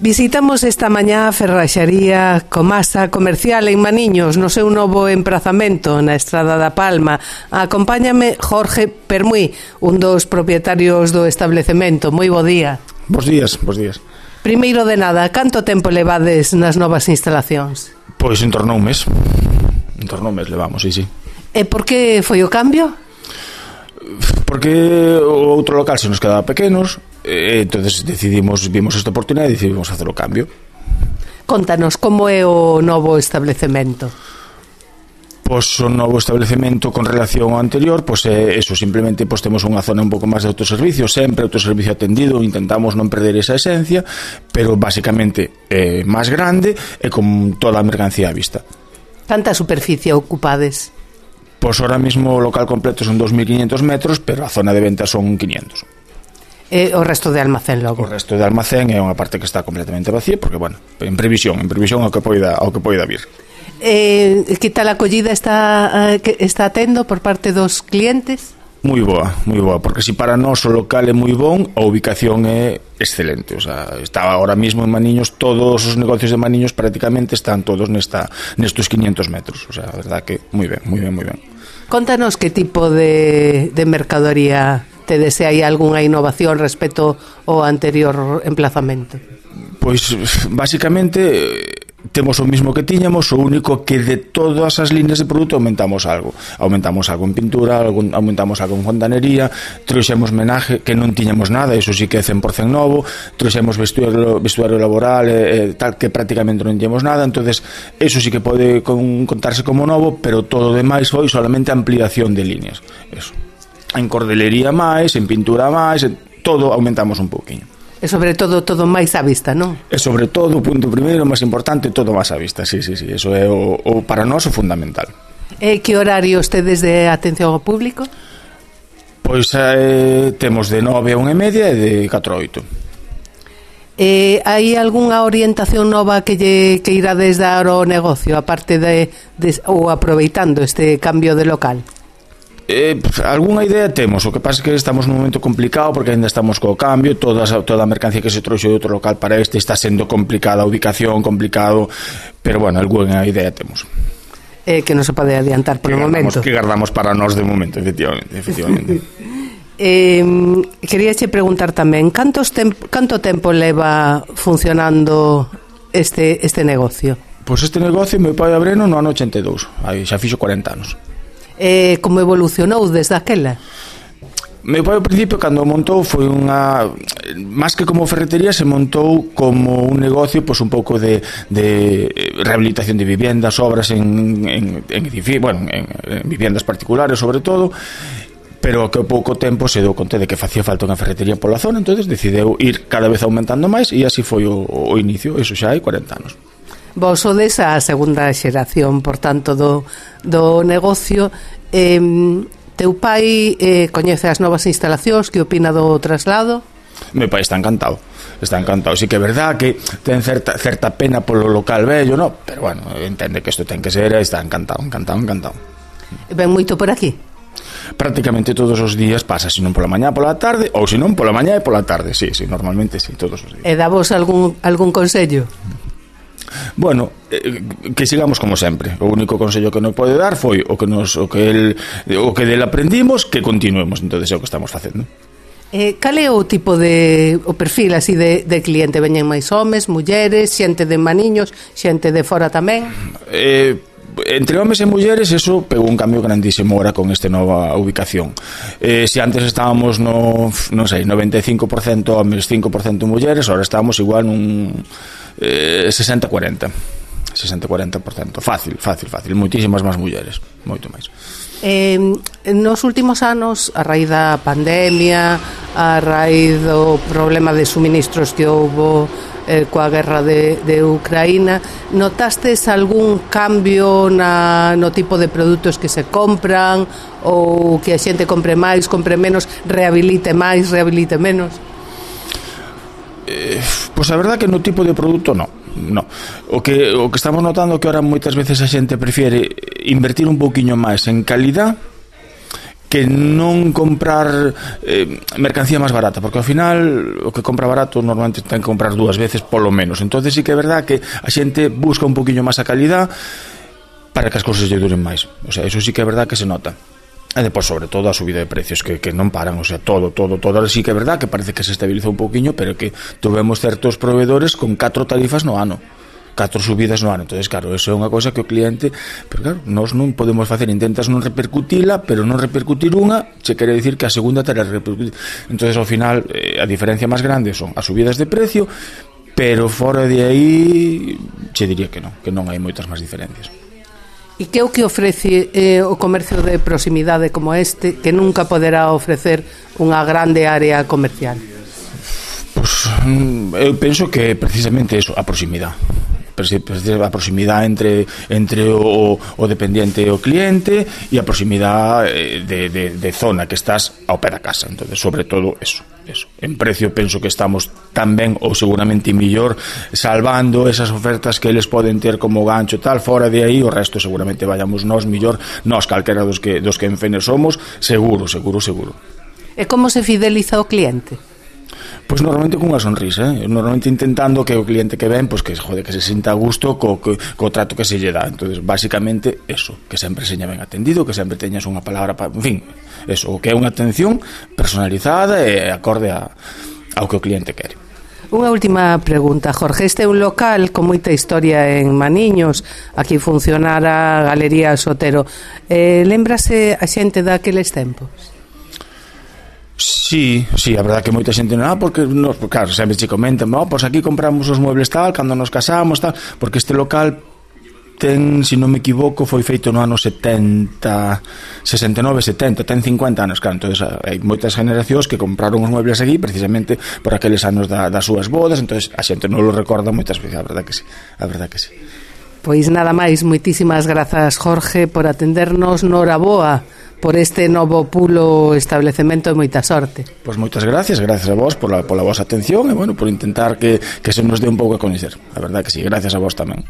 Visitamos esta mañá a Ferraxaría Comasa Comercial en Maniños, no seu novo emprazamento na Estrada da Palma. Acompáñame Jorge Permuy, un dos propietarios do establecemento. Moi bo día. Bos días, bos días. Primeiro de nada, canto tempo levades nas novas instalacións? Pois en torno a un mes. En torno a un mes levamos, sí. E por que foi o cambio? Porque o outro local se nos quedaba pequenos, entonces vimos esta oportunidade e decidimos facer o cambio. Contanos, como é o novo establecemento? Pois o novo establecemento con relación ao anterior, pois é eso, simplemente pois temos unha zona un pouco máis de autoservicio, sempre autoservicio atendido, intentamos non perder esa esencia, pero basicamente é máis grande e con toda a mercancía á vista. Canta superficie ocupades? Pois ahora mismo o local completo son 2.500 metros, pero a zona de venta son 500. E o resto de almacén logo? O resto de almacén é unha parte que está completamente vacía, porque, bueno, en previsión ao que poida vir. Que tal a acollida está tendo por parte dos clientes? Moi boa, porque si para nós o local é moi bon, a ubicación é excelente. O sea, está ahora mismo en Maniños, todos os negocios de Maniños prácticamente están todos nestos 500 metros. O sea, a verdad que moi ben. Contanos que tipo de mercadoría te desea, hai algunha innovación respecto ao anterior emplazamento? Pois, basicamente, temos o mismo que tiñamos, o único que de todas as líneas de produto aumentamos algo en pintura, aumentamos algo en fontanería, trouxemos menaje que non tiñamos nada, iso sí que é 100% novo, trouxemos vestuario laboral tal que prácticamente non tiñamos nada, entonces eso sí que pode contarse como novo, pero todo o demais foi solamente ampliación de líneas, eso. En cordelería máis, en pintura máis, todo aumentamos un pouquiño. E sobre todo máis á vista, non? E sobre todo, o punto primeiro, máis importante, todo máis á vista, sí, eso é o para nós o fundamental. E que horarios tedes de atención ao público? Pois temos de 9 a 1:30 e de 4 a 8. Hai algunha orientación nova que irades dar ao negocio, aparte ou aproveitando este cambio de local? Algúnha idea temos, o que pasa é que estamos nun momento complicado porque ainda estamos co cambio, toda a mercancía que se trouxe de outro local para este está sendo complicada, a ubicación complicado, pero bueno, algunha idea temos. Que non se pode adiantar polo momento. Que guardamos para nós de momento, efectivamente. Queríache preguntar tamén, canto tempo leva funcionando este negocio? Pois este negocio meu pai abreno no ano 82, aí xa fixo 40 anos. Como evolucionou desde aquela? Meu pai ao principio cando montou foi unha máis que como ferretería se montou como un negocio pois un pouco de rehabilitación de viviendas, obras en viviendas particulares sobre todo, pero que ao pouco tempo se deu conta de que facía falta unha ferretería pola zona, entonces decideu ir cada vez aumentando máis e así foi o inicio, eso xa hai 40 anos. Vos sodes a segunda xeración, por tanto, do negocio. Teu pai coñece as novas instalacións, que opina do traslado? Meu pai está encantado. Sí que é verdad que ten certa pena polo local vello, no? Pero bueno, entende que isto ten que ser e está encantado. Ven moito por aquí? Prácticamente todos os días pasa, se non pola mañá, pola tarde, ou se non pola mañá e pola tarde, sí, normalmente sí, todos os días. E dávos algún consello? Bueno, que sigamos como sempre. O único consello que nos pode dar foi o que del aprendimos, que continuemos, entonces é o que estamos facendo. Cal é o tipo o perfil así de cliente? Veñen máis homes, mulleres, xente de Maniños, xente de fora tamén? Entre homes e mulleres eso pegou un cambio grandísimo ahora con esta nova ubicación. Se antes estábamos no, non sei, 95% homes, 5% mulleres, ahora estamos igual nun 60-40%. Fácil, moitísimas máis mulleres, moito máis. Nos últimos anos, a raíz da pandemia, a raíz do problema de suministros que houbo coa guerra de Ucraína, notastes algún cambio no tipo de produtos que se compran, ou que a xente compre máis, compre menos, rehabilite máis, rehabilite menos? Pois a verdad que no tipo de produto no. O que estamos notando que ahora moitas veces a xente prefiere invertir un pouquiño máis en calidad que non comprar mercancía máis barata, porque ao final o que compra barato normalmente ten que comprar 2 veces polo menos. Entonces sí que é verdad que a xente busca un poquinho máis a calidad para que as cousas lle duren máis. O sea, eso sí que é verdad que se nota. E depois, sobre todo, a subida de precios que non paran, o sea, todo. Ahora sí que é verdad que parece que se estabilizou un poquinho, pero que tuvemos certos proveedores con 4 tarifas no ano, 4 subidas no ano. Entonces, claro, eso é unha cosa que o cliente, pero claro, nós non podemos facer, intentas non repercutila, pero non repercutir unha, che quere dicir que a segunda terá repercutir. Entonces, ao final, a diferencia máis grande son as subidas de precio, pero fora de aí, che diría que non hai moitas máis diferencias. E que é o que ofrece o comercio de proximidade como este que nunca poderá ofrecer unha grande área comercial? Pois, eu penso que precisamente eso, a proximidade. A proximidade entre o dependiente e o cliente, e a proximidade de zona que estás ao pé da casa. Entonces, sobre todo eso. En precio penso que estamos tamén ou seguramente mellor, salvando esas ofertas que eles poden ter como gancho tal. Fora de aí o resto seguramente vayamos nós mellor, nós calquera dos que en Fener somos, seguro. E como se fideliza o cliente? Pois normalmente cunha sonrisa, normalmente intentando que o cliente que ven, pois que se sinta a gusto co trato que se lle dá. Entonces, basicamente eso, que sempre seña ben atendido, que sempre teñas unha palabra en fin, eso, que é unha atención personalizada e acorde ao que o cliente quere. Unha última pregunta, Jorge. Este é un local con moita historia en Maniños. Aquí funcionara a Galería Sotero. Lémbrase a xente daqueles tempos? Sí, a verdad que moita xente non, porque claro, sempre che comentan, pois aquí compramos os muebles tal, cando nos casamos tal, porque este local ten, se non me equivoco, foi feito no ano 69, 70, ten 50 anos, claro. Entonces hai moitas generacións que compraron os muebles aquí precisamente por aqueles anos das súas bodas. Entonces a xente non lo recorda moitas veces, a verdad que sí. Pois nada máis, moitísimas grazas, Jorge, por atendernos. Noraboa por este novo pulo establecemento e moita sorte. Pois moitas gracias a vos pola vosa atención e, bueno, por intentar que se nos dé un pouco a coñecer. A verdad que sí, gracias a vos tamén.